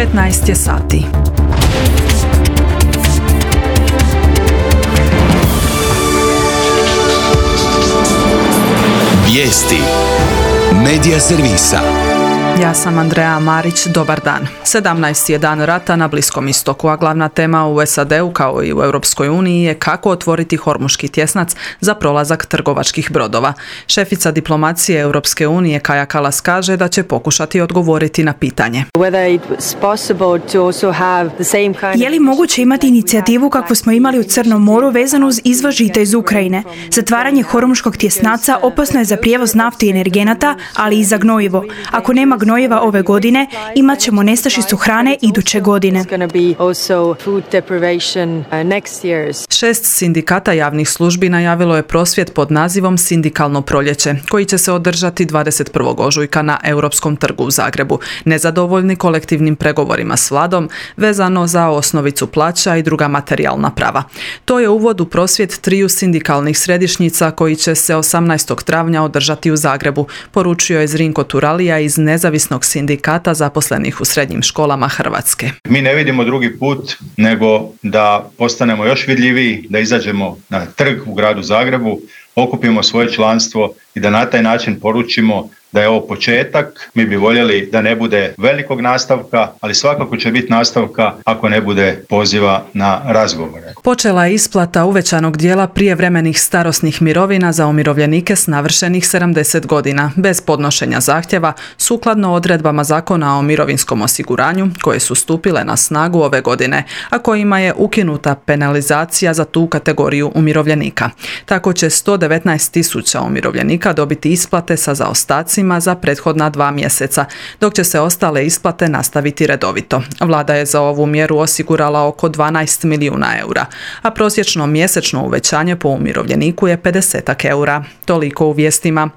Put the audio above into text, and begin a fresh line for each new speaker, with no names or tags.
15 je sati.
Vijesti Medija servisa.
Ja sam Andreja Marić, dobar dan. 17. je dan rata na Bliskom istoku, a glavna tema u SAD-u kao i u Europskoj uniji je kako otvoriti Hormuški tjesnac za prolazak trgovačkih brodova. Šefica diplomacije Europske unije Kaja Kallas kaže da će pokušati odgovoriti na pitanje.
Je li moguće imati inicijativu kakvu smo imali u Crnom moru vezanu uz izvoz žita iz Ukrajine? Zatvaranje Hormuškog tjesnaca opasno je za prijevoz nafte i energenata, ali i za gnojivo. Ako nema gnojiva ove godine, imat ćemo nestašicu hrane iduće godine.
6 sindikata javnih službi najavilo je prosvjed pod nazivom Sindikalno proljeće, koji će se održati 21. ožujka na Europskom trgu u Zagrebu, nezadovoljni kolektivnim pregovorima s vladom vezano za osnovicu plaća i druga materijalna prava. To je uvod u prosvjed 3 sindikalnih središnjica koji će se 18. travnja održati u Zagrebu, poručio je Zrinko Turalija iz Nezavisnog sindikata zaposlenih u srednjim školama Hrvatske.
Mi ne vidimo drugi put nego da postanemo još vidljiviji, da izađemo na trg u gradu Zagrebu, okupimo svoje članstvo i da na taj način poručimo da je ovo početak. Mi bi voljeli da ne bude velikog nastavka, ali svakako će biti nastavka ako ne bude poziva na razgovore.
Počela je isplata uvećanog dijela prijevremenih starosnih mirovina za umirovljenike s navršenih 70 godina, bez podnošenja zahtjeva, sukladno odredbama Zakona o mirovinskom osiguranju, koje su stupile na snagu ove godine, a kojima je ukinuta penalizacija za tu kategoriju umirovljenika. Tako će 119.000 umirovljenika dobiti isplate sa zaostacima za prethodna 2 mjeseca, dok će se ostale isplate nastaviti redovito. Vlada je za ovu mjeru osigurala oko 12 milijuna eura, a prosječno mjesečno uvećanje po umirovljeniku je 50 eura. Toliko u vijestima.